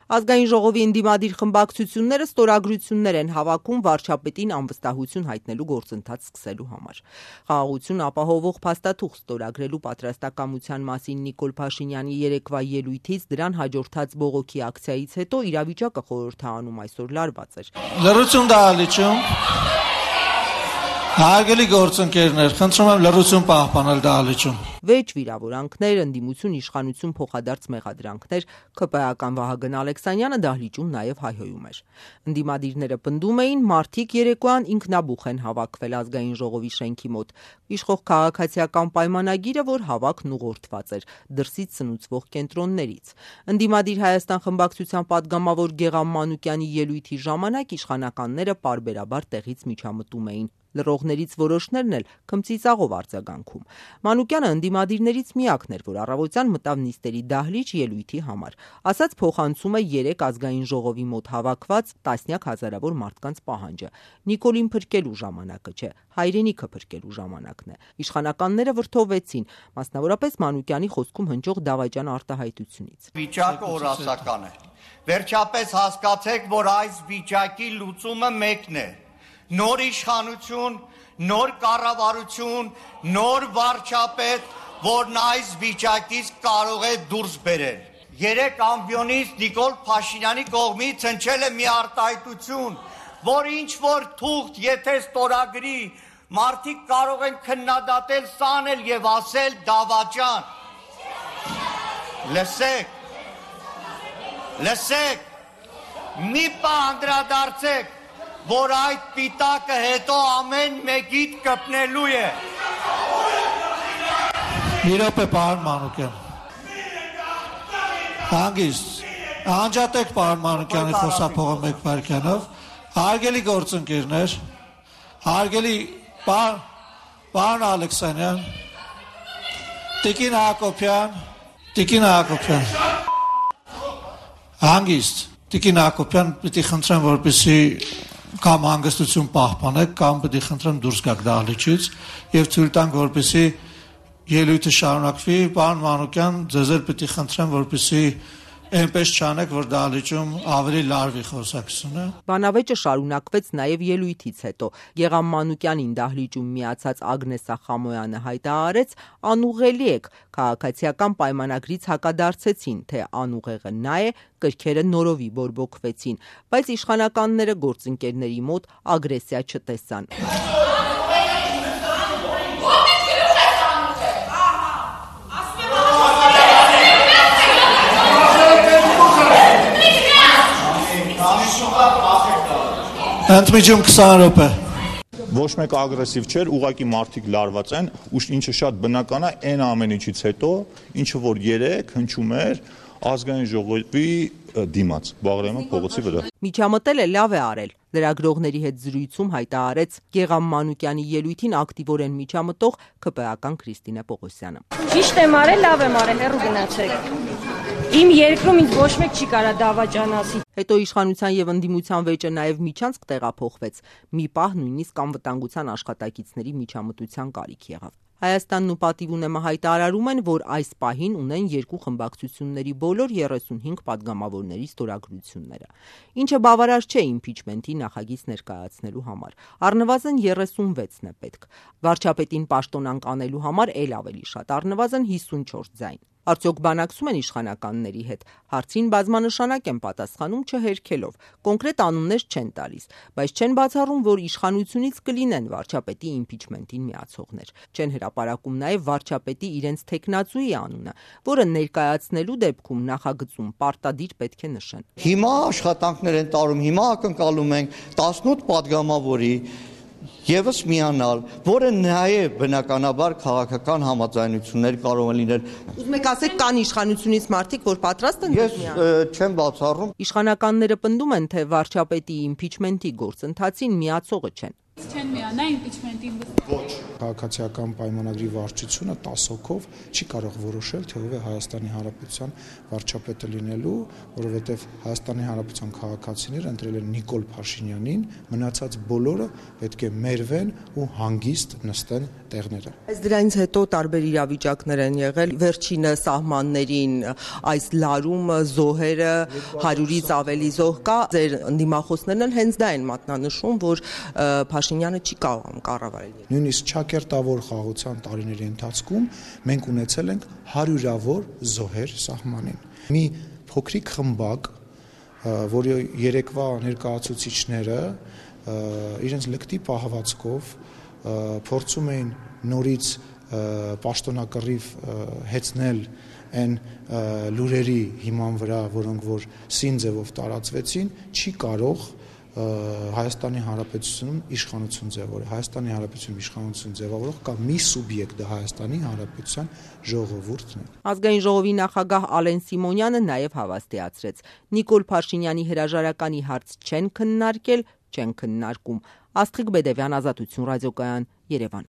Ազգային ժողովի ընդդիմադիր խմբակցությունները ստորագրություններ են հավաքում վարչապետին անվստահություն հայտնելու գործընթաց սկսելու համար։ Խաղաղություն ապահովող փաստաթուղթ ստորագրելու պատրաստակամության մասին Նիկոլ Փաշինյանի երեկվա ելույթից դրան հաջորդած բողոքի ակցիայից հետո իրավիճակը խորհրդարանում այսօր լարված էր։ Լռություն դահլիճում։ Հարգելի գործընկերներ, խնդրում եմ լռություն պահպանել դահլիճում։ Վեճ վիրավորանքներ, ընդդիմություն, իշխանություն փոխադարձ մեղադրանքներ, ԿՊ-ական Վահագն Ալեքսանյանը դահլիճում նաև հայհոյում էր։ Ընդդիմադիրները պնդում էին, մարդիկ երեկոյան ինքնաբուխ են հավաքվել Ազգային ժողովի շենքի մոտ։ Իշխող քաղաքացիական պայմանագիրը, որ հավաքն ուղղորդված էր դրսից սնուցվող կենտրոններից։ Ընդդիմադիր Հայաստան խմբակցության падգամավոր Գեղամ Մանուկյանի ելույթի ժամանակ իշխանականները պարբերաբար տեղից միջամտում էին։ Լռողներից որոշներն էլ քմծիծաղով արձագանքում։ Մանուկյանը ընդդիմադիրներից միակն էր, որ առավոտյան մտավ նիստերի դահլիճ ելույթի համար։ Ասաց փոխանցում է 3 ազգային ժողովի մոտ հավաքված տասնյակ հազարավոր մարդկանց պահանջը։ Նիկոլին փրկելու ժամանակը չէ, հայրենիքը փրկելու ժամանակն է։ Իշխանականները վրդովվեցին, մասնավորապես Մանուկյանի խոսքում հնչող դավաճան արտահայտությունից։ Վիճակը օրասական է։ Վերջապես հասկացեք, որ այս վիճակի լուծումը մեկն է։ Նոր իշխանություն, նոր կառավարություն, նոր վարչապետ, որն այս վիճակից կարող է դուրս բերել։ 3 ամբիոնից Նիկոլ Փաշինյանի կողմից հնչել է մի արտահայտություն, որ ինչ որ թուղթ եթե ստորագրի, մարդիկ կարող են քննադատել, սանել եւ ասել դավաճան։ Լսեք, մի պահ անդրադարձեք, որ այդ պիտակը հետո ամեն մեկիդ կպնելու է։ Մի րոպե, պարոն Մանուկյան։ Հանգիստ, անջատեք պարոն Մանուկյանի խոսափողը մեկ վայրկյանով։ Հարգելի գործընկերներ, հարգելի պարոն Ալեքսանյան, Տիկին Հակոբյան, հանգիստ, Տիկին Հակոբյան, պիտի խնդրեմ, որպեսզի կամ հանգստություն պահպանեք, կամ պետք է խնդրեմ դուրս գաք դահլիճից եւ թույլ տանք, որպեսզի ելույթը շարունակվի։ Պարոն Մանուկյան, ձեզ էլ պետք է խնդրեմ, որպեսզի այնպես չանեք, որ դահլիճում ավելի լարվի խոսակցությունը։ Բանավեճը շարունակվեց նաև ելույթից հետո։ Գեղամ Մանուկյանին դահլիճում միացած Ագնեսա Խամոյանը հայտարարեց. անուղելի եք, քաղաքացիական պայմանագրից հակադարձեցին, թե անուղեղը նա է, կրքերը նորովի բորբոքվեցին, բայց իշխանականները գործընկերների մոտ ագրեսիա չտեսան։ Ընդմիջում 20 րոպե։ Ոչ մեկ ագրեսիվ չէր, ուղղակի մարդիկ լարված են, ու ինչը շատ բնական է, այն ամեն ինչից հետո, ինչը որ 3 հնչում էր ազգային ժողովի դիմաց, Բաղրամյան փողոցի վրա։ Միջամտել է, լավ է արել։ Լրագրողների հետ զրույցում հայտարարեց Գեղամ Մանուկյանի ելույթին ակտիվորեն միջամտող ԿՊ-ական Քրիստինե Պողոսյանը։ Ճիշտ եմ արել, լավ եմ արել, հեռու գնացեք։ Իմ երկրում ինձ ոչ մեկ չի կարա դավաճան ասի։ Հետո իշխանության եւ ընդդիմության վեճը նաեւ Միչանցք տեղափոխվեց։ Մի պահ նույնիսկ անվտանգության աշխատակիցների միջամտության կարիք եղավ։ Հայաստանն ու Պատիվ ունեմը հայտարարում են, որ այս պահին ունեն 2 խմբակցությունների բոլոր 35 падգամավորների ստորագրությունները։ Ինչը բավարար չէ իմպիչմենտի նախագիծ ներկայացնելու համար։ Առնվազն 36-ն է պետք։ Վարչապետին պաշտոնանկ անելու համար էլ ավելի շատ, առնվազն 54 ձայն։ Արդյոք բանակցում են իշխանականների հետ։ Հարցին բազմանշանակ են պատասխանում չհերքելով։ Կոնկրետ անուններ չեն տալիս, բայց չեն բացառում, որ իշխանությունից կլինեն վարչապետի իմպիչմենտին միացողներ։ Չեն հրապարակում նաև վարչապետի իրենց թեկնածուի անունը, որը ներկայացնելու դեպքում նախագծում պարտադիր պետք է նշեն։ Հիմա աշխատանքներ են տարում, հիմա ակնկալում ենք 18 падգամավորի Եվս միանալ, որը նաև բնականաբար քաղաքական համաձայնություններ կարող են լինել։ Ուզում եք ասեք, կան իշխանությունից մարդիկ, որ պատրաստ են միանալ։ Ես չեմ բացառում։ Իշխանականները պնդում են, թե վարչապետի իմպիչմենտի գործընթացին միացողը չեն։ Չեն միանա իմպիչմենտին Ոչ, քաղաքացիական պայմանագրի վարչությունը 10 հոգով չի կարող որոշել, թե ով է Հայաստանի Հանրապետության վարչապետը լինելու, որովհետև Հայաստանի Հանրապետության քաղաքացիները ընտրել են Նիկոլ Փաշինյանին, մնացած բոլորը պետք է մերվեն ու հանգիստ նստեն տեղները։ Այս դրանից հետո տարբեր իրավիճակներ են եղել, վերջինը սահմաններին այս լարումը, զոհերը 100-ից ավելի զոհ կա, ձեր ընդդիմախոսներն հենց դա են մատնանշում, որ Փաշինյանը չի կարող կառավարել։ Նույնիսկ ճակերտավոր խաղաղության տարիների ընթացքում մենք ունեցել ենք հարյուրավոր զոհեր սահմանին։ Մի փոքրիկ խմբակ, որի երեկվա ներկայացուցիչները իրենց լկտի պահվածքով փորձում էին նորից պաշտոնակռիվ հեծնել այն լուրերի հիման վրա, որոնք որ սին ձևով տարածվեցին, չի կարող Հայաստանի Հանրապետությունում իշխանություն ձևավորել։ Հայաստանի Հանրապետությունում իշխանություն ձևավորող կա մի սուբյեկտ, դա Հայաստանի Հանրապետության ժողովուրդն է։ Ազգային ժողովի նախագահ Ալեն Սիմոնյանը նաև հավաստիացրեց. Նիկոլ Փաշինյանի հրաժարականի հարց չեն քննարկել, չեն քննարկում։ Աստղիկ Բեդևյան, Ազատություն ռադիոկայան, Երևան։